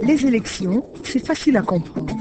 Les élections, c'est facile à comprendre.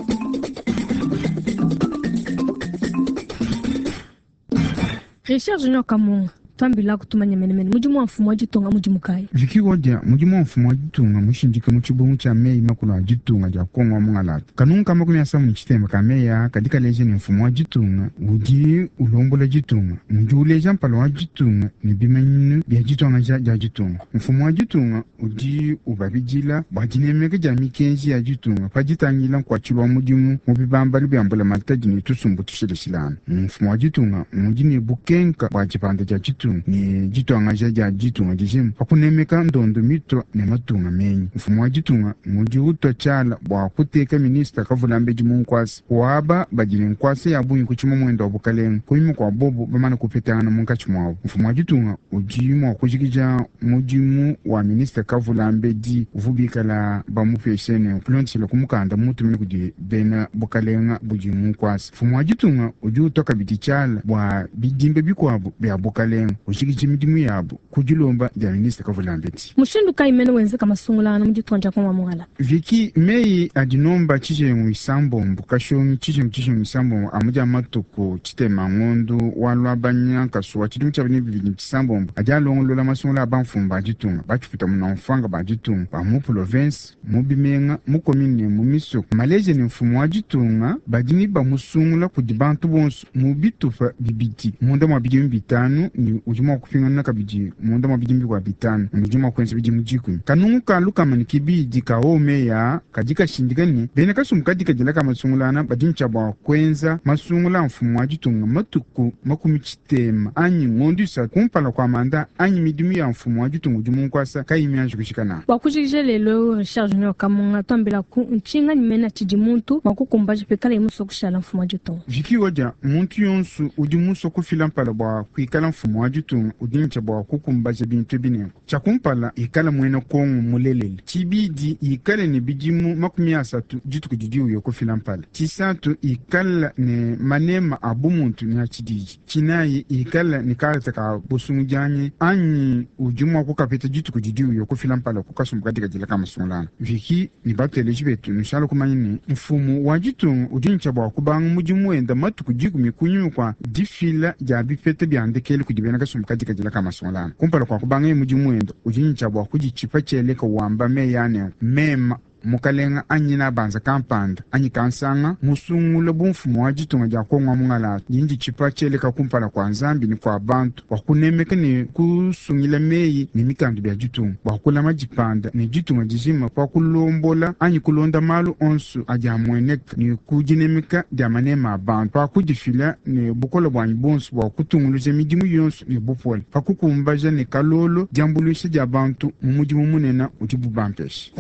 Richard Junior Kamunga twambila kutumanya menemene mudimu wa mfumu wa ditunga mudimu kayi? Vicky Odia mudimu wa mfumu wa ditunga mushindika mu tshibungu tshia meyi makulu a ditunga dia Kongo wa mungalata. Kanungu ka 36 ka meyi aa kadi kaleja ne mfumu wa ditunga udi ulombola ditunga, mudi uleja mpala wa ditunga ne bimanyinu bia dituangaja dia ditunga. Mfumu wa ditunga udi ubabidila bua dinemeka dia mikenji ya ditunga pa ditangila nkuatshilu wa mudimu mu bibambalu bia mbulamatadi ne tusumbu tushilashilangane. Mfumu wa ditunga mudi ne bukenka bua dipanda dia ditunga ne dituangaja dia ditunga dijima pa kunemeka ndondo mitua ne matunga menyi. Mfumu wa ditunga ngudi utua tshiala bua kuteka minista kavulambedi mu nkuasa waba badi ne nkuasa ya bungi ku tshimamuende wa bukalenga kunyima kua bobu bamane kupetangana munkatshi muabu. Mfumu wa ditunga udi mua kujikija mudimu wa minista kavulambedi uvua bikala bamupeshe ne kulondeshela ku mukanda mutumina kudi bena bukalenga budi mu nkuasa. Mfumu wa ditunga udi utua kabidi tshiala bua bidimba bikuabu bia bukalenga ujikija midimu yabu ku dilomba dia minista kavulambedi. Mushindu kayi mene wenzeka masungulangana mu ditunga dia Kongo wa Mongala? Vicky, meyi adi nomba tshijengu isambombo kashonyi tshijengu tshijengu isambombo amu dia matuku tshitema ngondu wa Luabanya nkasu wa tshidimu tshia 2006 adi alongolola masungula a bamfumu ba ditunga batshiputa munamfwanga ba ditunga ba mu province mu bimenga mu commune ne mu misoko. Maleja ne mfumu wa ditunga badi ne bamusungula kudi bantu bonso mu bitupa bibidi munda mua bidimu bitanu ne udi mua kupingana kabidi munda mua bidimu bikua bitanu ne udi mua kuenza bidimu dikumi. Kanungu ka lukama ne kibidi ka omeya kadi kashindika ne bena kasumbu kadi kadila ka masungulana badi ne tshia bua kuenza masungula a mfumu wa ditunga matuku 60 anyi ngondu isatu kumpala kua manda anyi midimu ya mfumu wa ditunga udi mu nkuasa kayi mianji kujika nawu. Bua kujikija lelu eu, Richard Junior Kamunga tuambila ku ntshinganyi mena tshidi muntu mua kukumbaja pikalaye musue kushala mfumu wa ditunga. Vicky Odia, muntu yonso udi musue kufila mpala bua kuikala mfumu wa ditunga udi ne tshia bua kukumbaja bintu ebi nenku: tshia kumpala, ikala muena Kongo mulelela; tshibidi, ikale ne bidimu 30 dituku didi uya kufila mpala; tshisatu, ikala ne manema a bumuntu ne a tshididi; tshinayi, ikala ne karata ka busungudianyi anyi udi mua kukapeta dituku didi uya kufila mpala ku kasumbu kadikadila ka masungulanga. Vicky ne bateleji betu, nushala kumanya ne mfumu wa ditunga udi ne tshia bua kubanga mudimu wenda matuku 10 kunyima kua difila dia bipeta bia ndekelu kudi bena kasumbu kadikadila ka masungulanga. Kumpala kua kubangaye mudimu wenda, udi ne tshia bua kuditshipa tshieleka wamba meyi a nenku: mema mukalenga anyi nabanza kampanda anyi kansanga musungula bu mfumu wa ditunga dia Kongo wa mungalata, ndi nditshipa tshieleka kumpala kua Nzambi ne kua bantu bua kunemeka ne kusungila meyi ne mikandu bia ditunga, bua kulama dipanda ne ditunga dijima pa kulombola anyi kulonda malu onso adi amueneka ne ku dinemeka dia manema a bantu, pa kudifila ne bukole buanyi buonso bua kutunguluja midimu yonso ne bupole, pa kukumbaja ne kalolo diambuluisha dia bantu mu mudimu munene udibu bampeshe.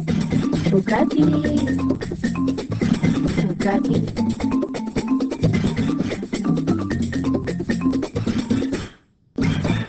Okapi. Okapi.